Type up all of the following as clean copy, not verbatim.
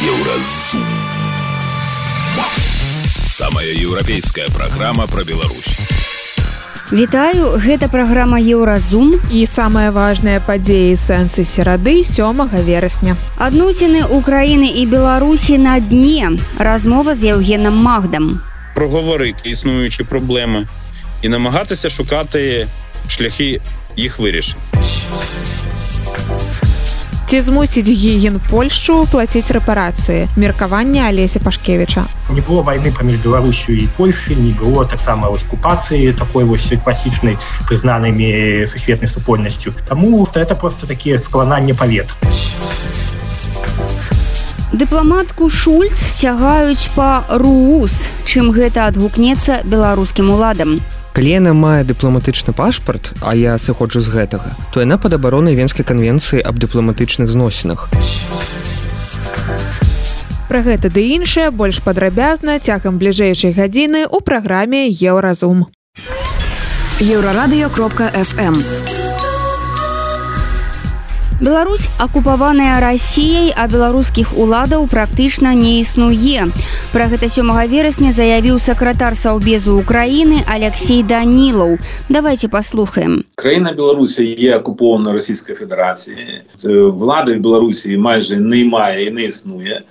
Еўразум. Самая еўрапейская праграма пра Беларусь. Вітаю, гэта праграма Еўразум і самыя важныя падзеі сэнсы серады 7 верасня. Адносіны Украіны і Беларусі на дне. Размова з Євгеном Магдом. Проговорити існуючі проблеми і намагатися шукати шляхи їх вирішення. Ці змусить Гігін Польщу платить репарації? Меркавання Олеся Пашкевича. Не было войны поміж Беларусью и Польшей, не было так само оккупации такой вот классичной, признанными сусветной супольностью. Тому это просто такие склонания повет. Дыпламатку Шульц сцягаюць па РУС. Чым гэта адгукнецца беларускім уладам? Калі яна мае дыпламатычны пашпарт, а я сыходжу з гэтага, то яна пад абаронай Венскай канвенцыі аб дыпламатычных зносінах. Пра гэта ды іншае больш падрабязна цягам бліжэйшай гадзіны ў праграме Еўразум. Еўрарадыё.фм. Беларусь акупаваная Расіяй, а беларускіх уладаў практычна не існуе. Пра гэта 7 верасня заявіў сакратар Саўбезу Украіны Алексей Данілаў. Давайте послухаем. Країна Білорусі є окупована Російською Федерацією. Влади в Білорусі майже немає і не існує.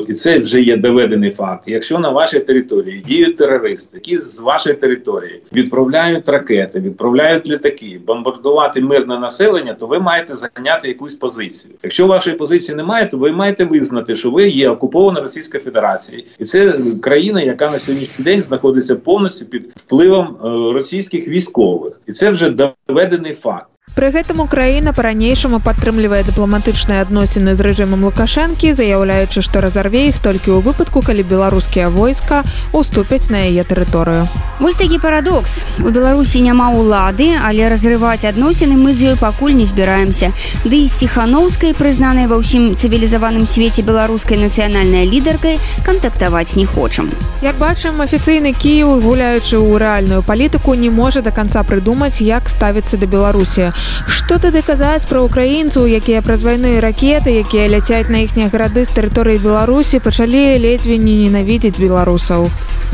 І це вже є доведений факт. Якщо на вашій території діють терористи, які з вашої території відправляють ракети, відправляють літаки, бомбардувати мирне населення, то ви маєте зайняти якусь позицію. Якщо вашої позиції немає, то ви маєте визнати, що ви є окупована Російською Федерацією. І це країна, яка на сьогоднішній день знаходиться повністю під впливом російських військових. І це вже доведений факт. Пры гэтым Украіна па-ранейшаму падтрымлівае дыпламатычныя адносіны з рэжымам Лукашэнкі, заяўляючы, што разарве іх толькі ў выпадку, калі беларускія войска уступяць на яе тэрыторыю. Вось такі парадокс. У Беларусі няма ўлады, але разрываць адносіны мы з ёй пакуль не збіраемся. Ды і з Ціханаўскай, прызнанай ва ўсім цывілізаваным свеце беларускай нацыянальнай лідаркай, кантактаваць не хочам. Як бачым, афіцыйны Кіеў, гуляючы ў рэальную палітыку, не можа да канца прыдумаць, як ставіцца да Беларусі. Што тады казаць пра украінцаў, якія праз вайну і ракеты, якія ляцяць на іхнія гарады з тэрыторыі Беларусі, пачалі ледзьве не ненавідзець беларусаў.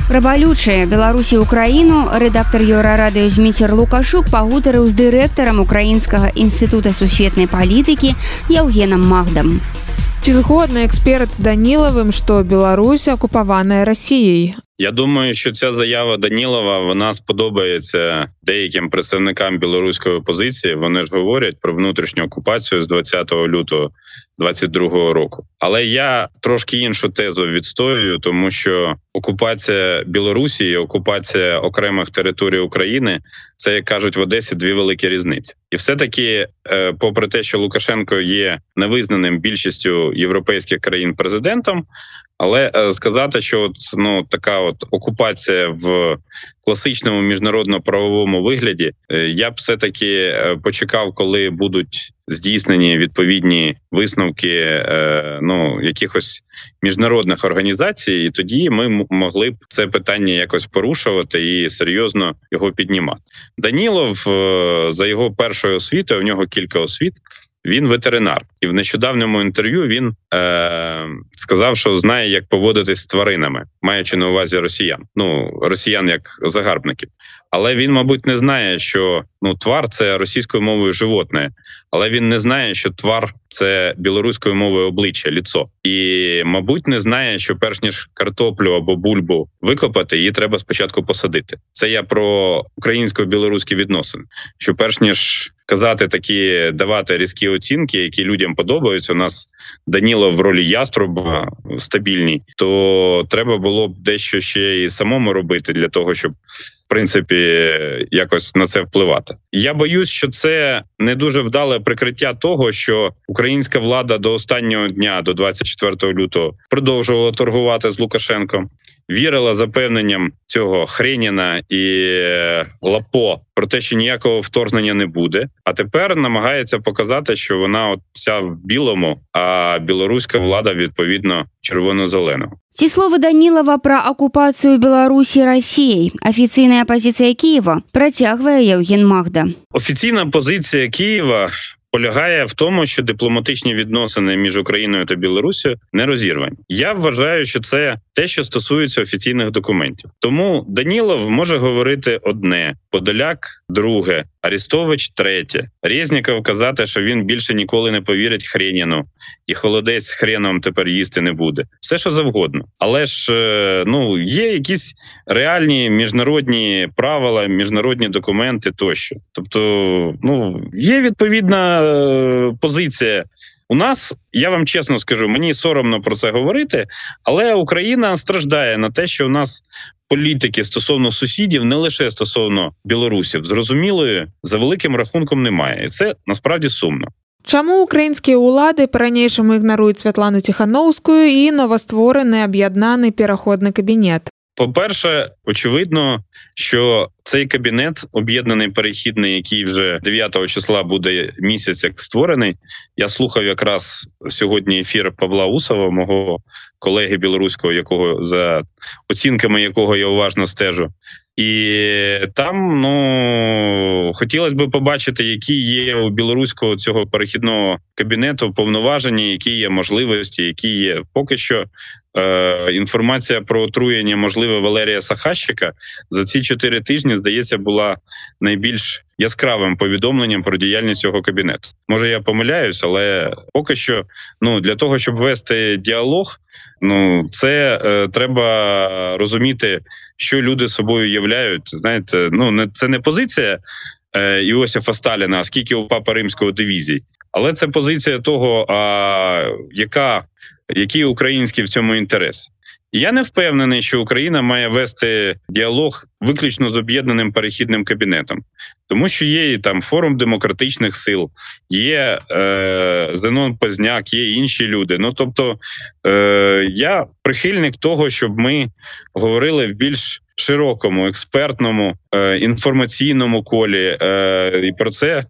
Пра балючае Беларусі і Украіну рэдактар Еўрарадыё Зміцер Лукашук пагутарыў з дырэктарам Украінскага інстытута сусветнай палітыкі Євгеном Магдом. Ці згодны эксперт з Данілавым, што Беларусь акупаваная Расіяй? Я думаю, що ця заява Данілова, вона сподобається деяким представникам білоруської опозиції. Вони ж говорять про внутрішню окупацію з 20 лютого 2022 року. Але я трошки іншу тезу відстоюю, тому що окупація Білорусі і окупація окремих територій України – це, як кажуть в Одесі, дві великі різниці. І все-таки, попри те, що Лукашенко є невизнаним більшістю європейських країн президентом, але сказати, що така окупація в класичному міжнародно-правовому вигляді, я б все-таки почекав, коли будуть здійснені відповідні висновки якихось міжнародних організацій, і тоді ми могли б це питання якось порушувати і серйозно його піднімати. Данілов, за його першою освітою, в нього кілька освіт, він ветеринар. І в нещодавньому інтерв'ю він сказав, що знає, як поводитись з тваринами, маючи на увазі росіян. Росіян як загарбників. Але він, мабуть, не знає, що твар – це російською мовою животне. Але він не знає, що твар – це білоруською мовою обличчя, ліцо. І, мабуть, не знає, що перш ніж картоплю або бульбу викопати, її треба спочатку посадити. Це я про українсько-білоруські відносини. Що перш ніж казати такі, давати різкі оцінки, які людям подобаються, у нас Данілов в ролі яструба стабільній, то треба було б дещо ще і самому робити для того, щоб в принципі, якось на це впливати. Я боюсь, що це не дуже вдале прикриття того, що українська влада до останнього дня, до 24 лютого, продовжувала торгувати з Лукашенком, вірила запевненням цього Хреніна і Лапо про те, що ніякого вторгнення не буде, а тепер намагається показати, що вона вся в білому, а білоруська влада, відповідно, червоно-зеленого. Ці словы Данілова пра акупацыю Беларусі Расіяй. Афіцыйная пазіцыя Кієва працягвае Євген Магда. Офіційна позиція Києва полягає в тому, що дипломатичні відносини між Україною та Білоруссю не розірвані. Я вважаю, що це те, що стосується офіційних документів. Тому Данілов може говорити одне, Подоляк – друге, Арестович – третє, Резніков казати, що він більше ніколи не повірить Хреніну, і холодець з хреном тепер їсти не буде. Все, що завгодно. Але ж є якісь реальні міжнародні правила, міжнародні документи тощо. Тобто, є відповідна позиція. У нас, я вам чесно скажу, мені соромно про це говорити, але Україна страждає на те, що у нас політики стосовно сусідів, не лише стосовно білорусів, зрозумілої за великим рахунком немає. І це насправді сумно. Чаму українскія ўлады па-ранейшаму ігнаруюць Святлану Ціхановскую і новаствораны аб'яднаны пераходны кабінет? По-перше, очевидно, що цей кабінет, об'єднаний перехідний, який вже 9 числа буде місяць як створений, я слухав якраз сьогодні ефір Павла Усова, мого колеги білоруського, за оцінками якого я уважно стежу. І там, хотілося б побачити, які є у білоруського цього перехідного кабінету повноваження, які є можливості, які є. Поки що інформація про отруєння, можливе, Валерія Сахащика за ці 4 тижні, здається, була найбільш яскравим повідомленням про діяльність цього кабінету. Може, я помиляюсь, але поки що, для того, щоб вести діалог, це треба розуміти, що люди собою являють. Знаєте, це не позиція Іосифа Сталіна, а скільки у Папи Римського дивізій, але це позиція того, який український в цьому інтерес. І я не впевнений, що Україна має вести діалог виключно з об'єднаним перехідним кабінетом. Тому що є і там форум демократичних сил, є Зенон Позняк, є інші люди. Тобто я прихильник того, щоб ми говорили в більш широкому, експертному, інформаційному колі. І про це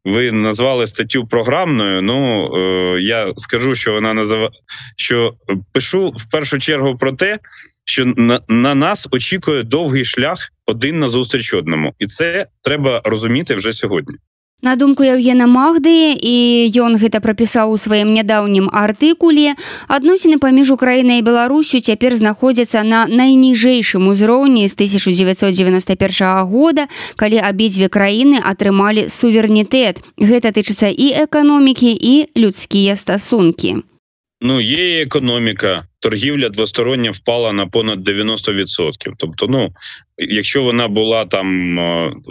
ви назвали статтю програмною. Я скажу, що пишу в першу чергу про те, що на нас очікує довгий шлях один назустріч одному. І це треба розуміти вже сьогодні. На думку Евгена Магды, і ён гэта прапісаў у сваім нядаўнім артыкуле, адносіны паміж Украінай і Беларусю цяпер знаходзяцца на найніжэйшым узроўні з 1991 года, калі абедзве краіны атрымалі суверэнітэт. Гэта тычыцца і эканомікі, і людскія стасункі. Є і економіка. Торгівля двостороння впала на понад 90%. Тобто, якщо вона була там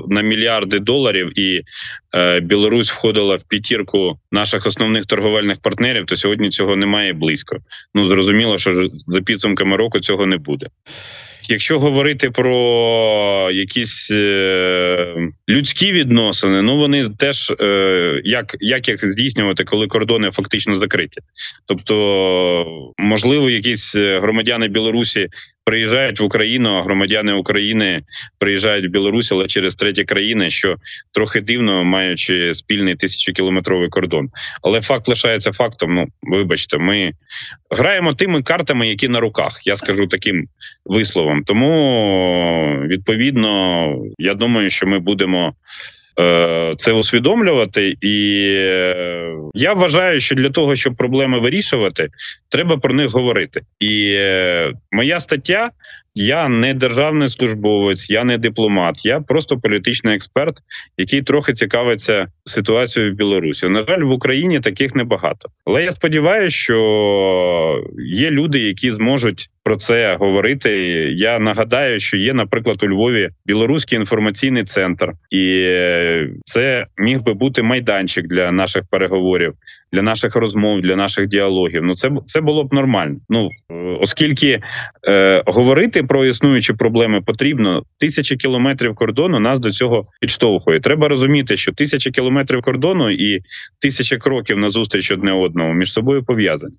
на мільярди доларів і Білорусь входила в п'ятірку наших основних торговельних партнерів, то сьогодні цього немає близько. Зрозуміло, що за підсумками року цього не буде. Якщо говорити про якісь людські відносини, вони теж, як їх здійснювати, коли кордони фактично закриті. Тобто, можливо, якісь громадяни Білорусі приїжджають в Україну, а громадяни України приїжджають в Білорусь, але через треті країни, що трохи дивно, маючи спільний 1000-кілометровий кордон. Але факт лишається фактом. Вибачте, ми граємо тими картами, які на руках, я скажу таким висловом. Тому, відповідно, я думаю, що ми будемо це усвідомлювати, і я вважаю, що для того, щоб проблеми вирішувати, треба про них говорити. І моя стаття, я не державний службовець, я не дипломат, я просто політичний експерт, який трохи цікавиться ситуацією в Білорусі. На жаль, в Україні таких небагато. Але я сподіваюся, що є люди, які зможуть про це говорити. Я нагадаю, що є, наприклад, у Львові Білоруський інформаційний центр. І це міг би бути майданчик для наших переговорів, для наших розмов, для наших діалогів. Це було б нормально. Оскільки говорити про існуючі проблеми потрібно, 1000 кілометрів кордону нас до цього підштовхує. Треба розуміти, що 1000 кілометрів кордону і 1000 кроків назустріч одне одному між собою пов'язані.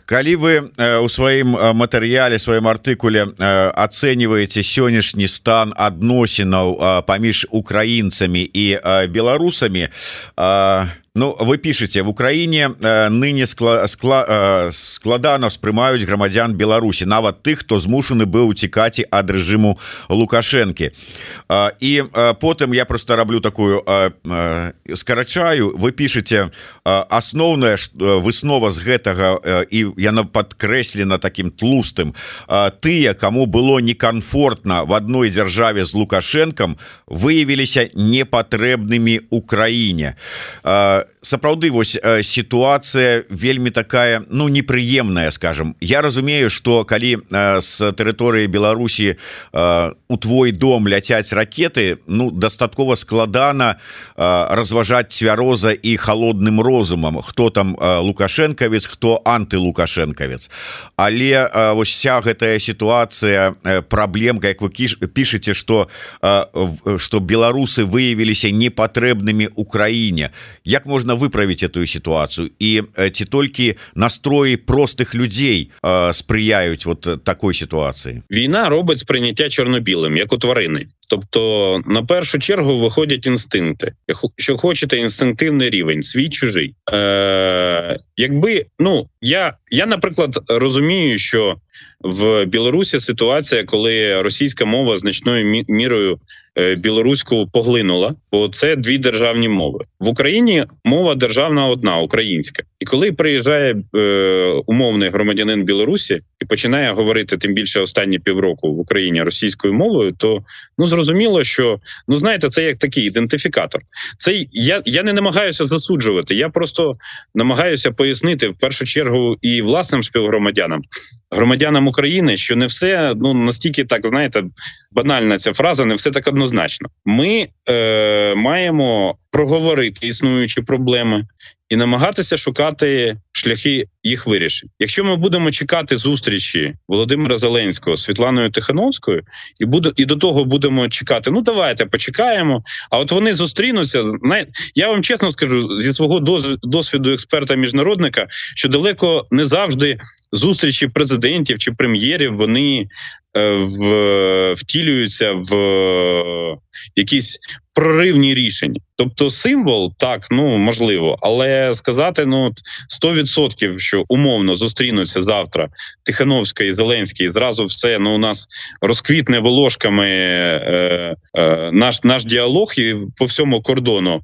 Калі вы у сваім матэрыяле, сваім артыкуле ацэньваеце сённяшні стан адносінаў паміж украінцамі і беларусамі, вы пишете, в Украине ныне складана ўспрымаюць грамадзян Беларусі. На нават тых, хто змушаны быў уцікаць ад рэжыму Лукашэнкі. І потым я просто раблю такую скарачаю, вы пішаце асноўная выснова з гэтага, і яна падкрэслена таким тлустым: тыя, каму было некомфортна в адной дзяржаве з Лукашэнкам, выявіліся непатрэбнымі ў краіне. Сапраўды, вось сітуацыя вельмі такая, ну, непрыемная, скажем. Я разумею, что калі з тэрыторыі Беларусі у твой дом ляцяць ракеты, ну, дастаткова складана разважаць цвяроза і холодным розумам, хто там лукашэнкавец, хто антылукашэнкавец. Але вось вся гэтая сітуацыя, праблемка, як вы пішаце, что беларусы выявіліся непатрэбнымі ў краіне. Як можна выправіць эту сітуацыю? І ці толькі настроі простых людей сприяють вот такой ситуації? Війна робить сприйняття чорно-білим, як у тварини. Тобто, на першу чергу виходять інстинкти. Якщо хочете, інстинктивний рівень, свій-чужий. Якби, ну, я, наприклад, розумію, що в Білорусі ситуація, коли російська мова значною мірою білоруську поглинула, бо це дві державні мови. В Україні мова державна одна, українська. І коли приїжджає умовний громадянин Білорусі і починає говорити, тим більше останні півроку в Україні російською мовою, то, ну, зрозуміло, що, ну, знаєте, це як такий ідентифікатор. Це я не намагаюся засуджувати, я просто намагаюся пояснити в першу чергу і власним співгромадянам, громадянам України, що не все, ну, настільки так, знаєте, банальна ця фраза, не все так однозначно. Ми маємо проговорити існуючі проблеми і намагатися шукати шляхи їх вирішень. Якщо ми будемо чекати зустрічі Володимира Зеленського з Світланою Тихановською і до того будемо чекати, ну давайте почекаємо, а от вони зустрінуться, я вам чесно скажу, зі свого досвіду експерта-міжнародника, що далеко не завжди зустрічі президентів чи прем'єрів, вони втілюються в якісь проривні рішення. Тобто символ, так, ну, можливо, але сказати, ну, 100%, що умовно зустрінуться завтра Тихановська і Зеленський, і зразу все, ну, у нас розквітне волошками наш діалог і по всьому кордону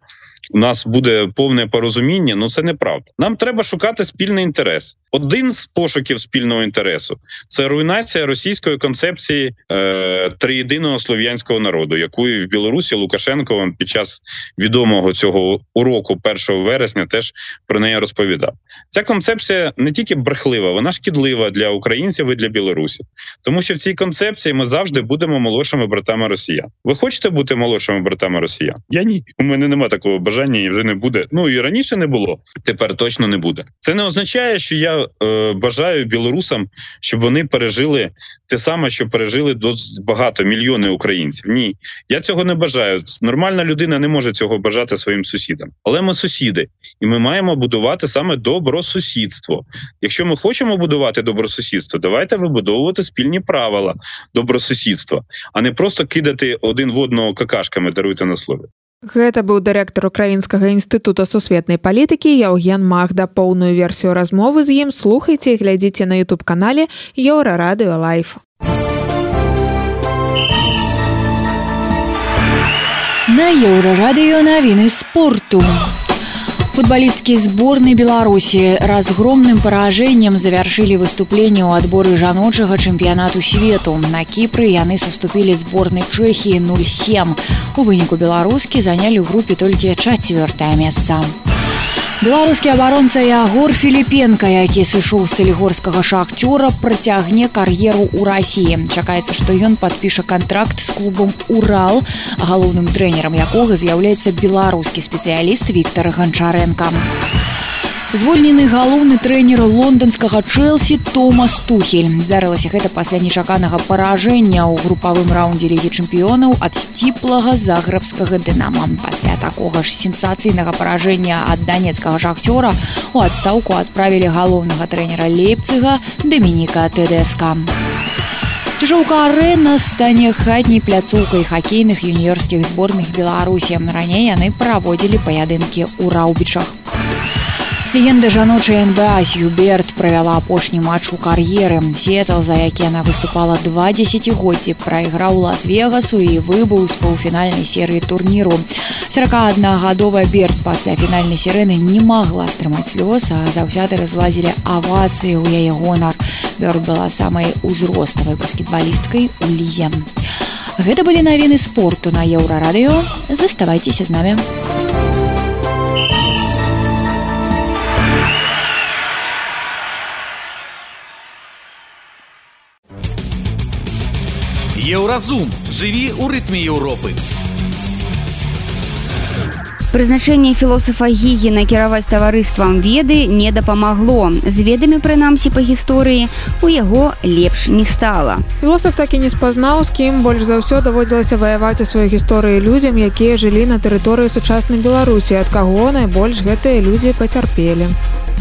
у нас буде повне порозуміння, ну це неправда. Нам треба шукати спільний інтерес. Один з пошуків спільного інтересу – це руйнація російської концепції триєдиного слов'янського народу, яку і в Білорусі Лукашенко під час відомого цього уроку 1 вересня теж про неї розповідав. Ця концепція не тільки брехлива, вона шкідлива для українців і для білорусів. Тому що в цій концепції ми завжди будемо молодшими братами росіян. Ви хочете бути молодшими братами росіян? Я ні. У мене немає такого бажання і вже не буде. Ну і раніше не було, тепер точно не буде. Це не означає, що я бажаю білорусам, щоб вони пережили те саме, що пережили досить багато, мільйони українців. Ні, я цього не бажаю. Нормальна людина не може цього бажати своїм сусідам. Але ми сусіди, і ми маємо будувати саме добросусідство. Якщо ми хочемо будувати добросусідство, давайте вибудовувати спільні правила добросусідства, а не просто кидати один в одного какашками, даруйте на слові. Гэта быў дырэктар Украінскага інстытута сусветнай палітыкі Яўген Магда. Поўную версію размовы з ім слухайце і глядзіце на YouTube-канале Еўрарадыё Лайф. На Еўрарадыё навіны спорту. Футболистки сборной Беларуси разгромным поражением завершили выступление у отбора жаночего чемпионату свету. На Кипре яны соступили сборной Чехии 0-7. У выніку беларуски заняли в группе только 4-е место. Беларускі абаронца Ягор Філіпенка, які сышоў з салігорскага Шахцёра, працягне кар'еру ў Расіі. Чакаецца, што ён падпіша кантракт з клубам «Урал», галоўным трэнерам якога з'яўляецца беларускі спецыяліст Віктар Ганчарэнка. Звольнены галоўны трэнер лонданскага Чэлсі Томас Тухель. Здарылася гэта пасля нечаканага паражэння ў групавым раўндзе Лігі чэмпіёнаў ад сціплага загрэбскага Дынама. Пасля такога ж сенсацыйнага паражэння ад данецкага Шахцёра у адстаўку адправілі галоўнага трэнера Лейпціга Дамініка Тэдэска. Чыжоўка-арэна стане хатняй пляцоўкай хакейных юніёрскіх зборных Беларусі. Раней яны праводзілі паядынкі ў Раўбічах. Легенда жаночай НБА Сью Берд правяла апошні матч у кар'еры. Сіэтл, за які яна выступала 2 дзесяцігоддзі, прайграў Лас-Вегасу і выбыў з паўфінальнай серыі турніру. 41-гадовая Берд пасля фінальнай сірэны не магла стрымаць слёз, а заўсёды разлазілі авацыі ў яе гонар. Берд была самай узроставай баскетбалісткай у лізе. Гэта былі навіны спорту на Еўрарадыё. Заставайцеся з намі. Еўразум. Жыві ў рытме Еўропы. Прызначэнне філосафа Гігіна кіраваць таварыствам веды не дапамагло. З ведамі, прынамсі па гісторыі, у яго лепш не стала. Філосаф так і не спазнаў, з кім больш за ўсё даводзілася ваяваць у сваёй гісторыі людзям, якія жылі на тэрыторыі сучаснай Беларусі, ад каго найбольш гэтыя людзі пацярпелі.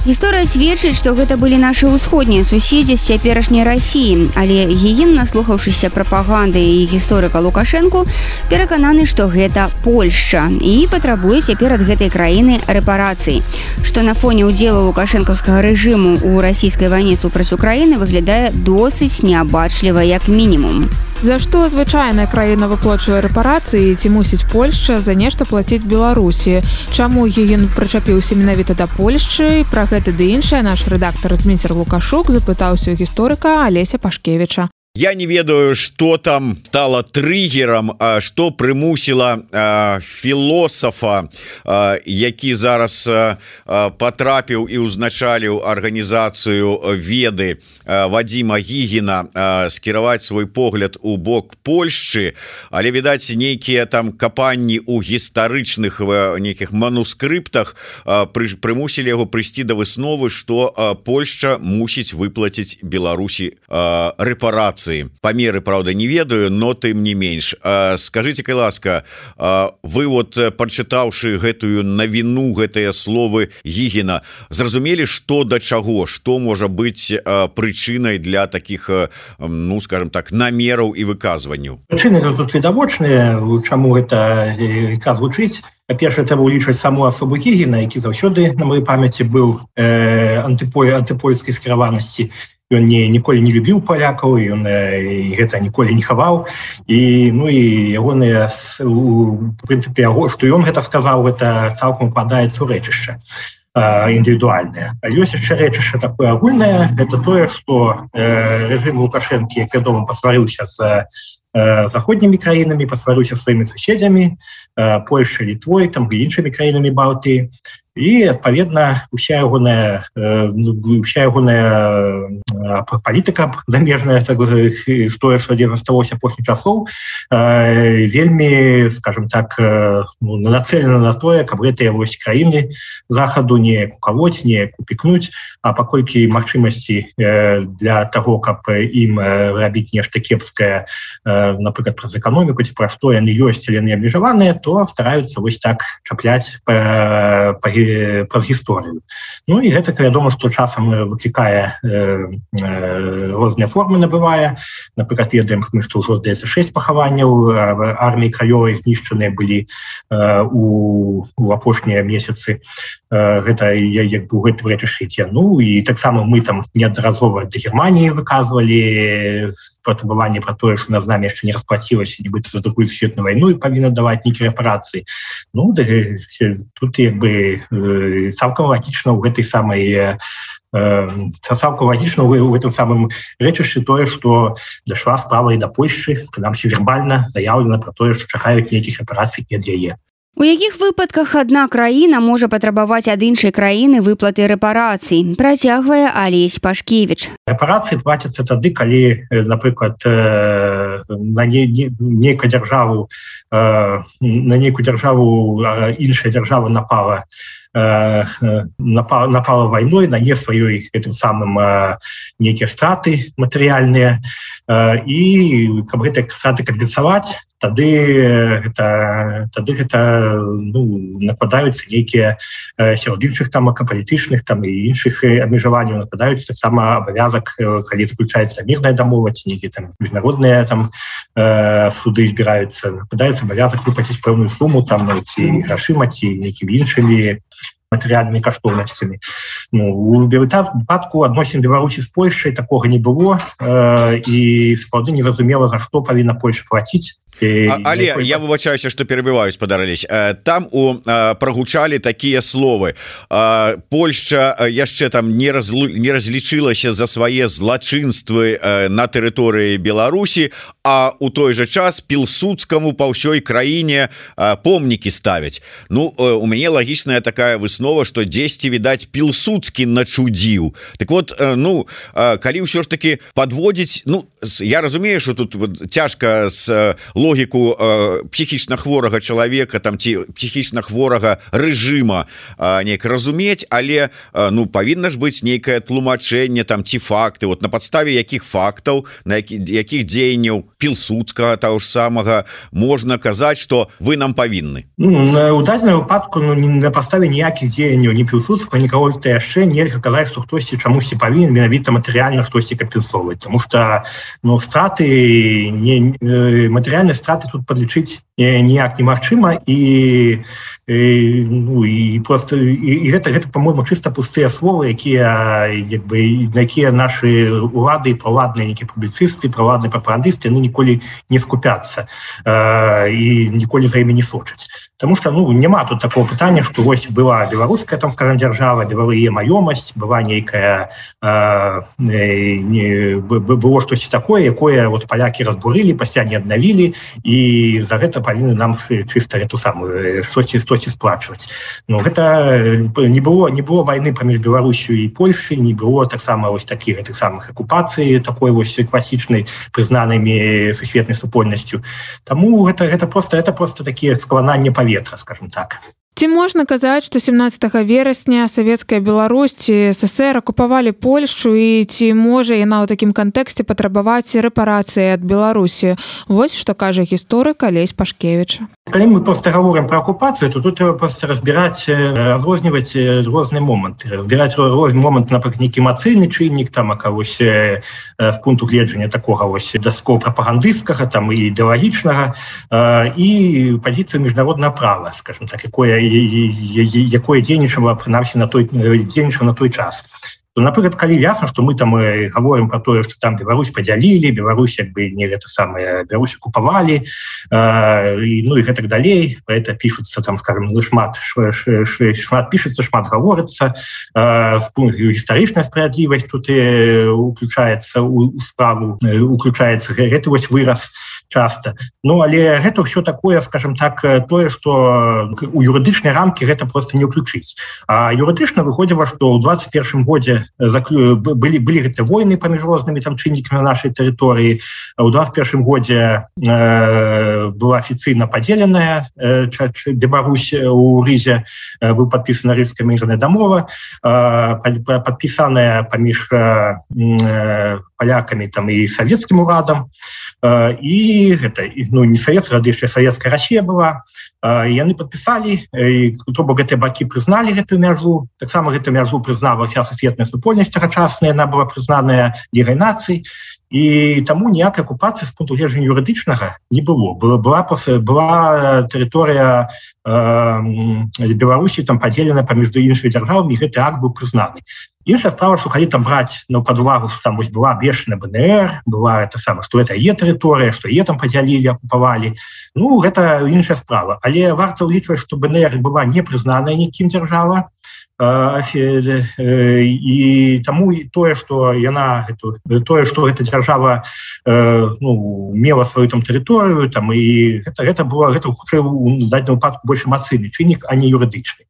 Гісторыя сведчыць, што гэта былі нашы ўсходнія суседзі з цяперашняй Расіі, але Гігін, наслухаўшыся прапаганды і гісторыка Лукашэнку, перакананы, што гэта Польшча і патрабуе цяпер ад гэтай краіны рэпарацыі, што на фоне ўдзелу лукашэнкаўскага рэжыму ў расійскай вайне супраць Украіны выглядае досыць неабачліва як мінімум. За што звычайная краіна выплачвае рэпарацыі, ці мусіць Польшча за нешта плаціць Беларусі? Чаму Гігін прычапіўся менавіта да Польшчы? Пра гэта ды іншае наш рэдактар Зміцер Лукашук запытаўся ў гісторыка Алеся Пашкевіча. Я не ведаю, что там стало триггером, что примусило философа, які зараз потрапіў і узначаліў арганізацыю веды Вадзіма Гігіна скіраваць свой погляд у бок Польшчы, але, відаць, нейкія там капанні ў гістарычных нейкіх манускрыптах примусілі яго прыйсці да высновы, што Польшча мусіць выплаціць Беларусі рэпарацыі. Памеры, правда, не ведаю, но тым не менш. Скажите, кай ласка, вы вот, прачытаўшы гэтую навіну, гэтыя словы Гігіна, зразумелі, што да чаго, што можа быць прычынай для такіх, ну, скажем так, намераў і выказванняў? Прычыны тут відавочныя, чаму гэта звучыць. Па-першае, трэба ўлічваць саму асобу Гігіна, які заўсёды, на маёй памяці, быў антыпольскай скіраванасці. Ён ніколі не любіў палякаў, ён гэта ніколі не хаваў, і ягоныя, у прынцыпе, што ён гэта сказаў, гэта цалкам укладаецца ў рэчышча індывідуальнае. Але ёсць яшчэ рэчышча такое агульнае, гэта тое, што рэжым Лукашэнкі, як вядома, пасварыўся з заходнімі краінамі, пасварыўся з сваімі суседзямі, Польшай, Літвой, там і іншымі краінамі Балтыі. І, адпаведна, уся ягоная палітыка замежная, тое, што засталося апошніх часоў, вельмі, скажем так, нацелена на тое, каб гэтыя вось краіны захаду не кукаваць, не упікнуць, а паколькі магчымасці для таго, каб ім рабіць нешта кепскае, напрыклад, праз эканоміку, ці пра што яны ёсць, але яны абмежаваныя, то стараюцца вось так чапляць праз гісторыю. Ну і гэта, вядома, што часам выклікае розныя формы набывае. Напрыклад, ведаем, што ўжо, здаецца, 6 пахаванняў арміі краёвай знішчаныя былі у апошнія месяцы. Гэта як бы ў гэтым рэчышчы. Ну і таксама мы там неаднаразова да Германіі выказвалі патрабаванне пра тое, што з намі яшчэ не расплацілася, нібыта за другую сусветную вайну і павінна даваць нейкія рэпарацыі. Ну, тут як бы цалкам лагічна ў гэтай самай цалкам лагічна ў гэтым самым рэчышчы тое, што дайшла справа і да Польшчы, прынамсі вербальна заяўлена пра тое, што чакаюць нейкіх рэпарацый ад яе. У якіх выпадках адна краіна можа патрабаваць ад іншай краіны выплаты рэпарацый, працягвае Алесь Пашкевіч. Рэпарацыі плацяцца тады, калі, напрыклад, на нейкую дзяржаву іншая дзяржава напала вайной, нане сваёй гэтым самым нейкія страты матэрыяльныя, і каб гэтыя страты кампенсаваць, тады гэта накладаюцца нейкія сярод іншых там палітычных там і іншых абмежаванняў, накладаюцца таксама абавязак, калі заключаецца мірная дамова, ці нейкія там міжнародныя там суды збіраюцца, накладаецца абавязак выплаціць пэўную суму там ці грашыма, ці нейкімі іншымі матэрыяльнымі каштоўнасцямі. У выпадку адносін Беларусі з Польшай такога не было, і сапраўды незразумела, за што павінна Польша плаціць. Але я выбачаюся, што перабіваю, спадар Алесь. Там прагучалі такія словы. Польшча яшчэ там не разлічылася за свае злачынствы на тэрыторыі Беларусі, а у той жа час Пілсудскаму па ўсёй краіне помнікі ставяць. Ну, у мяне лагічная такая выснова, што дзесьці, відаць, Пілсудскі начудзіў. Так вот, ну, калі ўсё ж таки подводзіць, ну, я разумею, што тут цяжка з логіку псіхічна хворага чалавека там ці псіхічна хворага рэжыма неяк разумець, але ну павінна ж быць нейкае тлумачэнне там ці факты, вот на падставе якіх фактаў, на якіх дзеянняў Пілсудскага таго ж самага можна казаць, што вы нам павінны. У дадзеным выпадку на падставе ніякіх дзеянняў ні Пілсудскага, ні кагосьці яшчэ нельга казаць, што хтосьці чамусьці павінен менавіта матэрыяльна штосьці кампенсоўваць, тому што ну страты матэрыяльныя страты тут подлічыць ніяк немагчыма, і просто і гэта по-моему чыста пустыя словы, якія на якія нашы улады, правадныя нейкія публіцысты, правадныя прапагандысты ніколі не скупяцца і ніколі за імі не сочаць. Потому что ну няма тут такого пытання, што вось была беларуская там скажем дзяржава, беларыя маёмасць, была нейкая было штосьці такое, якое вот палякі разбурылі, пасля не аднавілі, і за гэта павінны нам чыста эту самую штосьці сплачваць. Ну гэта не было вайны паміж Беларусю і Польшай, не было таксама вось такіх гэтых самых акупацый такой вось класічнай прызнанымі сусветнай супольнасцю. Таму гэта просто такія складанні ветра, скажем так. Ці можна казаць, што 17 верасня савецкая Беларусь ці СССР акупавалі Польшчу, і ці можа яна ў такім кантэксце патрабаваць рэпарацыі ад Беларусі? Вось што кажа гісторык Алесь Пашкевіч. Калі мы просто гаворым про акупацыю, то тут трэба просто разбіраць, разрозніваць розныя моманты. Разбіраць розны момант, напрыклад, нейкі эмацыйны чыннік, там, вось з пункту гледжання такога вось дасково прапагандысцкага, там і ідэалагічнага, і пазіцыю міжнароднага права, скажем так, якое дзейнічала прынамсі на той час. Напрыклад, калі ясна, што мы там гаворым про тое, што там Беларусь падзялілі, Беларусь як бы не гэта самае, Беларусь акупавалі, ну і гэтак далей, про это пішуцца там, скажем, шмат пішуцца, шмат гаворыцца, гістарычная справядлівасць тут уключаецца ў справу, уключаецца гэты вось выраз часта. Ну, але гэта ўсё такое, скажем так, тое, што у юрыдычнай рамкі гэта просто не ўключыць. А юрыдычна выходзіла, што ў 21 годзе былі гэты войны паміж рознымі там чыннікамі на нашай тэрыторыі. У 21 годзе была афіцыйна падзеленая Беларусь у Рызе, быў падпісана Рызская мірная дамова, падпісаная паміж палякамі там і савецкім урадам, і гэта ну не савецкая, яшчэ савецкая Расія была. Яны падпісалі, то бок гэтыя бакі прызналі гэтую мяжу, таксама гэтую мяжу прызнала вся сусветная супольнасць тагачасная, яна была прызнаная Лігай нацый, і таму ніякай акупацыі з пункту гледжання юрыдычнага не было. Была тэрыторыя Беларусі там падзелена паміж іншымі дзяржавамі, і гэты акт быў прызнаны. Іншая справа, што калі там браць пад увагу, што там вось была абвешчана БНР, была это сама, што гэта е тэрыторыя, што е там падзялілі, акупавалі, ну гэта іншая справа. Але варта ўлічваць, што БНР была не прызнаная нікім дзяржава, і таму і тое, што гэта дзяржава мела сваю там тэрыторыю, там і гэта хутчэй у дадзеным выпадку больш эмацыйны чыннік, а не юрыдычны.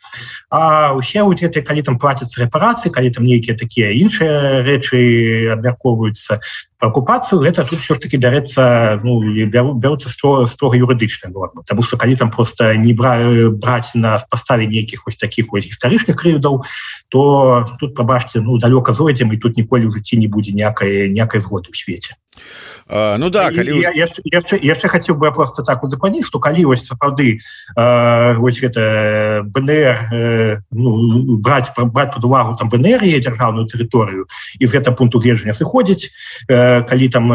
А ўсе гэтыя, калі там плацяцца рэпарацыі, калі там нейкія такія іншыя рэчы абмяркоўваюцца па акупацыю, гэта тут ўсё ж таки бяруцца строга юрыдычная норма. Таму што калі там проста не браць на паставе нейкіх вось такіх вось гістарычных крыўдаў, то тут, прабачце, далёка зойдзем, і тут ніколі ў жыцці не будзе ніякай згоды ў свеце. Ну да, калі яшчэ хацеў бы просто так узакладніць, што калі вось сапраўды вось гэта БНР браць пад увагу там БНР і дзяржаўную тэрыторыю і з гэта пункту гледжання сыходзіць, калі там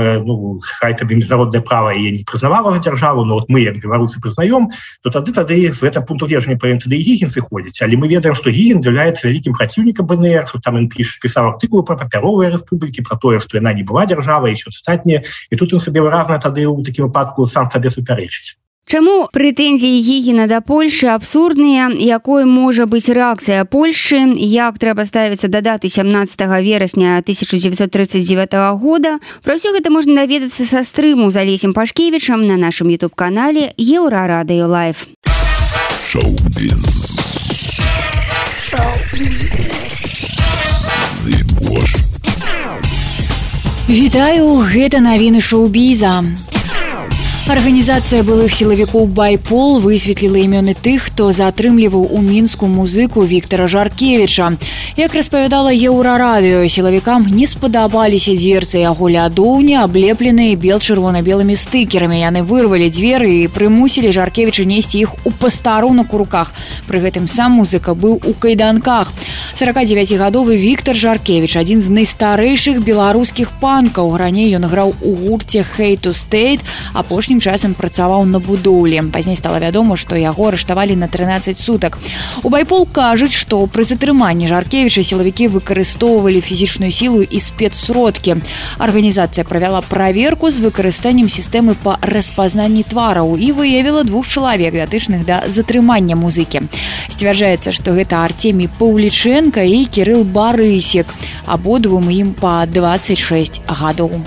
хай табе міжнароднае права і не прызнавала дзяржаву, но мы як беларусы прызнаём, то тады з гэта пункту гледжання павінен тады і Гігін сыходзіць, але мы ведаем, што Ильин является великим противником БНР, что там он писал артикулы про папяровые республики, про то, что она не была держава, и все остальное. И тут он себе выразно тогда в таким выпадку сам себе суперечить. Чаму прэтэнзіі Гігіна да Польшы абсурдныя, якой можа быць рэакцыя Польшы, як трэба ставіцца да даты 17 верасня 1939 года. Пра ўсё гэта можна даведацца са стрыму з Алесем Пашкевічам на нашым YouTube-канале Еўрарадыё Лайв. Шоу-біз. Вітаю, гэта навіны шоу-біза. Арганізацыя былых сілавікоў «Байпол» высветліла імёны тых, хто затрымліваў у Мінску музыку Віктара Жаркевіча. Як распавядала Еўрарадыё, сілавікам не спадабаліся дверцы яго лядоўні, аблепленыя бел-чырвона-белымі стыкерамі. Яны вырвалі дзверы і прымусілі Жаркевіча несці іх у пастарунак у руках. Пры гэтым сам музыка быў у кайданках. 49-гадовы Віктар Жаркевіч, адзін з найстарэйшых беларускіх панкаў. Раней ён граў у гурце «Hate to State», апошнім часам працаваў на будоўлі. Пазней стала вядома, што яго арыштавалі на 13 сутак. У «Байпол» кажуць, што пры затрыманні Жаркевіча сілавікі выкарыстоўвалі фізічную сілу і спецсродкі. Арганізацыя правяла праверку з выкарыстаннем сістэмы па распазнанні твараў і выявіла 2 чалавек, датычных да затрымання музыкі. Сцвярджаецца, што гэта Артемій Паўлічэнка і Кірыл Барысек. Абодвум ім па 26 гадоў.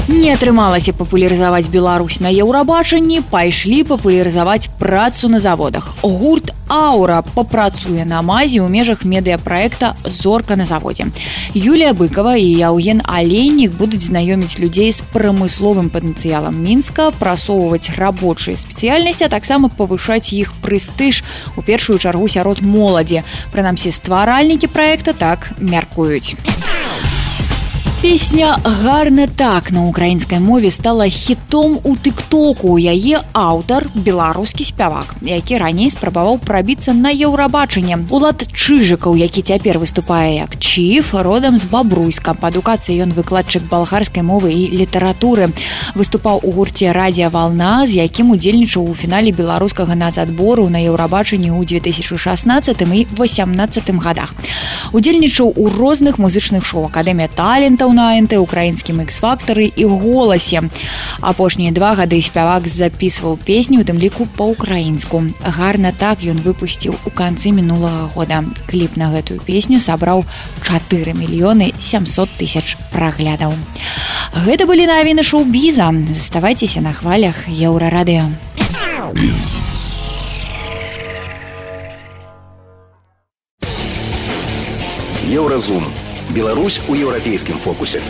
Не атрымалася папулярызаваць Беларусь на Еўрабачанні, пайшлі папулярызаваць працу на заводах. Гурт «Аура» папрацуе на МАЗе ў межах медыяпраекта «Зорка на заводзе». Юлія Быкова і Яўген Алейнік будуць знаёміць людзей з прамысловым патэнцыялам Мінска, прасоўваць рабочыя спецыяльнасці, а таксама павышаць іх прэстыж, у першую чаргу сярод моладзі. Прынамсі, стваральнікі праекта так мяркуюць. Песня «Гарна так» на украінскай мове стала хітом у тык-току. Яе аўтар – беларускі спявак, які раней спрабаваў прабіцца на Еўрабачанне. Улад Чыжыкаў, які цяпер выступае як Чіф, родам з Бабруйска. Па адукацыі ён выкладчык балгарскай мовы і літаратуры. Выступаў у гурце «Радіа Вална», з якім удзельнічаў у фінале беларускага нацадбору на Еўрабачанні ў 2016 і 2018 гадах. Удзельнічаў у розных музычных шоу «Акадэмія талентаў» на АНТ, украінскім X-фактары і «Голасе». Апошнія 2 гады спявак запісваў песні, у тым ліку па-украінску. «Гарна так» ён выпусціў у канцы мінулага года. Кліп на гэтую песню сабраў 4 мільёны 700 тысяч праглядаў. Гэта былі навіны шоу-біза. Заставайцеся на хвалях Еўрарадыё. Еўразум. Беларусь у еўрапейскім фокусе.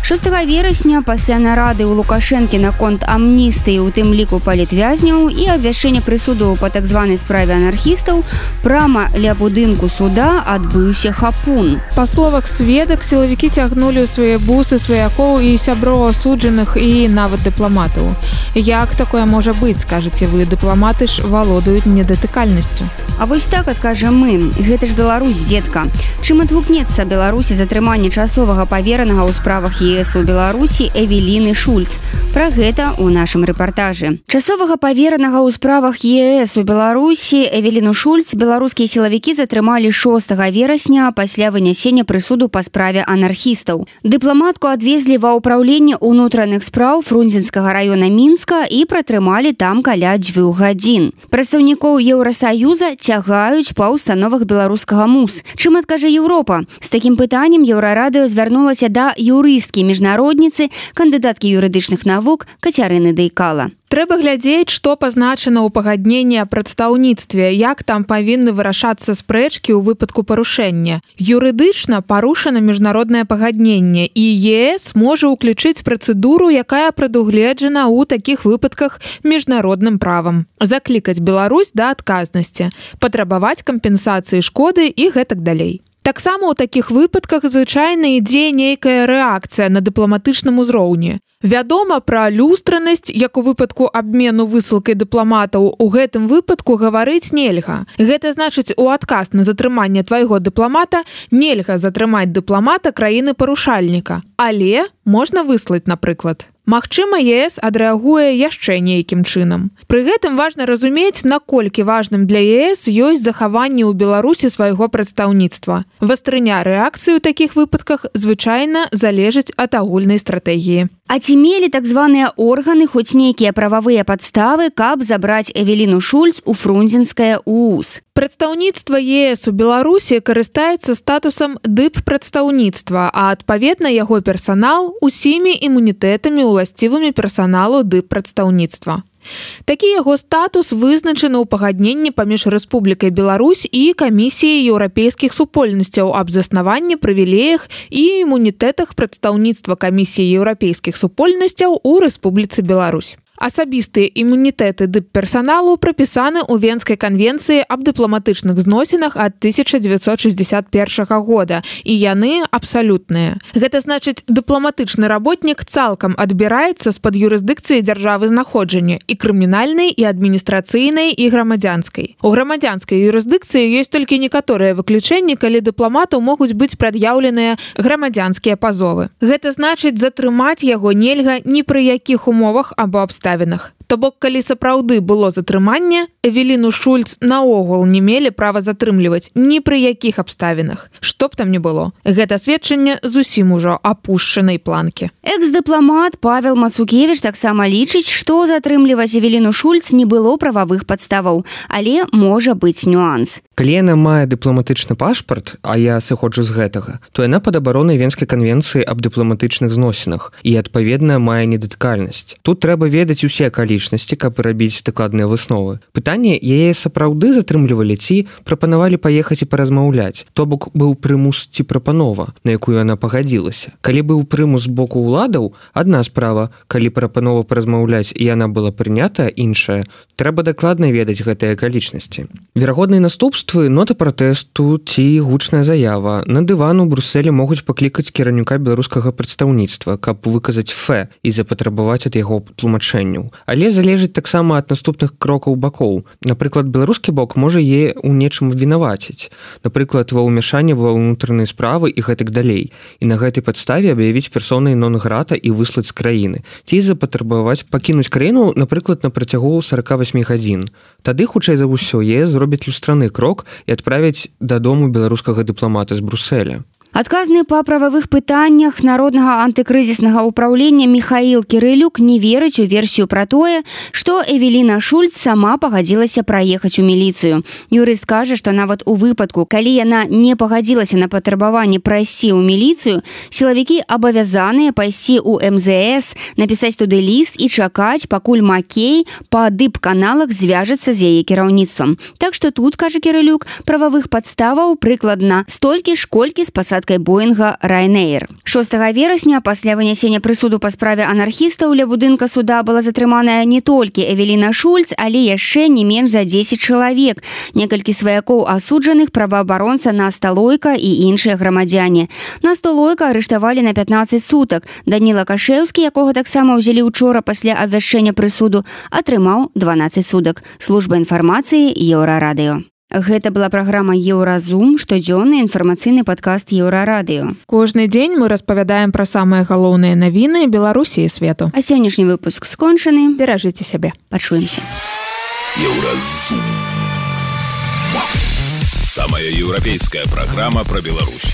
6 верасня пасля нарады ў Лукашэнкі наконт амністыі, у тым ліку палітвязняў і абвяшчэння прысуду па так званай справе анархістаў, прама ля будынку суда адбыўся хапун. Па словах сведак, сілавікі цягнулі ў свае бусы сваякоў і сяброў асуджаных і нават дыпламатаў. Як такое можа быць, скажаце вы, дыпламаты ж валодаюць недатыкальнасцю. А вось так адкажам мы, гэта ж Беларусь, дзедка. Чым адгукнецца Беларусі затрыманне часовага паверанага ў справах ЕС у Беларусі Эвеліны Шульц. Пра гэта ў нашым рэпартажы. Часовага паверанага ў справах ЕС у Беларусі Эвеліну Шульц беларускія сілавікі затрымалі 6 верасня пасля вынясення прысуду па справе анархістаў. Дыпламатку адвезлі ва ўпраўленне ўнутраных спраў Фрунзенскага раёна Мінска і пратрымалі там каля 2 гадзін. Прадстаўнікоў Еўрасаюза цягаюць па установах беларускага МУС. Чым адкажа Еўропа? З такім пытаннем Еўрарадыё звярнулася да юрысткі міжнародніцы, кандыдаткі юрыдычных навук Кацярыны Дайкала. Трэба глядзець, што пазначана ў пагадненні аб прадстаўніцтве, як там павінны вырашацца спрэчкі ў выпадку парушэння. Юрыдычна парушана міжнароднае пагадненне, і ЕС можа ўключыць працэдуру, якая прадугледжана ў такіх выпадках міжнародным правам. Заклікаць Беларусь да адказнасці, патрабаваць кампенсацыі шкоды і гэтак далей. Таксама ў такіх выпадках звычайна ідзе нейкая рэакцыя на дыпламатычным узроўні. Вядома пра люстранасць, як у выпадку абмену высылкай дыпламатаў, у гэтым выпадку гаварыць нельга. Гэта значыць, у адказ на затрыманне твайго дыпламата нельга затрымаць дыпламата краіны-парушальніка. Але можна выслаць, напрыклад, Магчыма, ЕС адрэагуе яшчэ нейкім чынам. Пры гэтым важна разумець, наколькі важным для ЕС ёсць захаванне ў Беларусі свайго прадстаўніцтва. Вастрыня рэакцыі ў такіх выпадках звычайна залежыць ад агульнай стратэгіі. А ці мелі так званыя органы хоць нейкія прававыя падставы, каб забраць Эвеліну Шульц у фрунзенскае УУС? Прадстаўніцтва ЕС у Беларусі карыстаецца статусам дып-прадстаўніцтва, а адпаведна яго персанал усімі імунітэтамі уласцівымі персаналу дып-прадстаўніцтва. Такі яго статус вызначаны ў пагадненні паміж Рэспублікай Беларусь і Камісіяй еўрапейскіх супольнасцяў аб заснаванні, прывілеях і імунітэтах прадстаўніцтва Камісіі еўрапейскіх супольнасцяў у Рэспубліцы Беларусь. Асабістыя імунітэты дып-персаналу прапісаны ў Венскай канвенцыі аб дыпламатычных зносінах ад 1961 года, і яны абсалютныя. Гэта значыць, дыпламатычны работнік цалкам адбіраецца з-пад юрысдыкцыі дзяржавы знаходжання і крымінальнай, і адміністрацыйнай, і грамадзянскай. У грамадзянскай юрысдыкцыі ёсць толькі некаторыя выключэнні, калі дыпламату могуць быць прад'яўленыя грамадзянскія пазовы. Гэта значыць, затрымаць яго нельга ні пры якіх умовах або абставінах. То бок, калі сапраўды было затрыманне, Эвеліну Шульц наогул не мелі права затрымліваць ні пры якіх абставінах. Што б там не было. Гэта сведчанне зусім ужо апушчанай планкі. Экс-дыпламат Павел Мацукевіч таксама лічыць, што затрымліваць Эвеліну Шульц не было прававых падставаў, але можа быць нюанс. Калі яна мае дыпламатычны пашпарт, а я сыходжу з гэтага, то яна пад абаронай Венскай канвенцыі аб дыпламатычных зносінах і, адпаведна, мае недатыкальнасць. Тут трэба ведаць усе акалічнасці, каб рабіць дакладныя высновы. Пытанне, яе сапраўды затрымлівалі ці прапанавалі паехаць і паразмаўляць. То бок быў прымус ці прапанова, на якую яна пагадзілася. Калі быў прымус з боку ўладаў, адна справа, калі прапанова паразмаўляць і яна была прынята, іншая, трэба дакладна ведаць гэтыя акалічнасці. Верагодныя наступствы, нота пратэсту ці гучная заява. На дыван у Брусэлі могуць паклікаць кіраўніка беларускага прадстаўніцтва, каб выказаць фэ і запатрабаваць ад яго тлумачэнняў. Але залежыць таксама ад наступных крокаў бакоў. Напрыклад, беларускі бок можа яе ў нечым абвінаваціць. Напрыклад, ва ўмяшанні ва ўнутраныя справы і гэтак далей. І на гэтай падставе аб'явіць персонай нон-грата і выслаць з краіны. Ці запатрабаваць пакінуць краіну, напрыклад, на працягу 48 гадзін. Тады, хутчэй за ўсё, ЕС зробіць люстраны крок і адправіць дадому беларускага дыпламата з Брусэля. Адказны па прававых пытаннях Народнага антыкрызіснага ўпраўлення Михаил Кірылюк не верыць у версію пра тое, што Эвеліна Шульц сама пагадзілася праехаць у міліцыю. Юрыст кажа, што нават у выпадку, калі яна не пагадзілася на патрабаванне прайсці ў міліцыю, сілавікі абавязаныя пайсці ў МЗС, напісаць туды ліст і чакаць, пакуль Макей па дып-каналах звяжацца з яе кіраўніцтвам. Так што тут, кажа Кірылюк, прававых падставаў прыкладна столькі ж, колькі з пасадкай Боінга Ryanair. 6 верасня пасля вынясення прысуду па справе анархістаў ля будынка суда была затрыманая не толькі Эвеліна Шульц, але яшчэ не менш за 10 чалавек. Некалькі сваякоў асуджаных, праваабаронца Насталойка і іншыя грамадзяне. Насталойка арыштавалі на 15 сутак. Даніла Кашэўскі, якога таксама ўзялі учора пасля абвяшчэння прысуду, атрымаў 12 сутак. Служба інфармацыі Еўрарадыё. Гэта была праграма «Еўразум», штодзённы інфармацыйны падкаст Еўрарадыё. Кожны дзень мы распавядаем пра самыя галоўныя навіны Беларусі і свету. А сённяшні выпуск скончаны. Беражыце сябе. Пачуемся. Еўразум. Самая еўрапейская праграма пра Беларусь.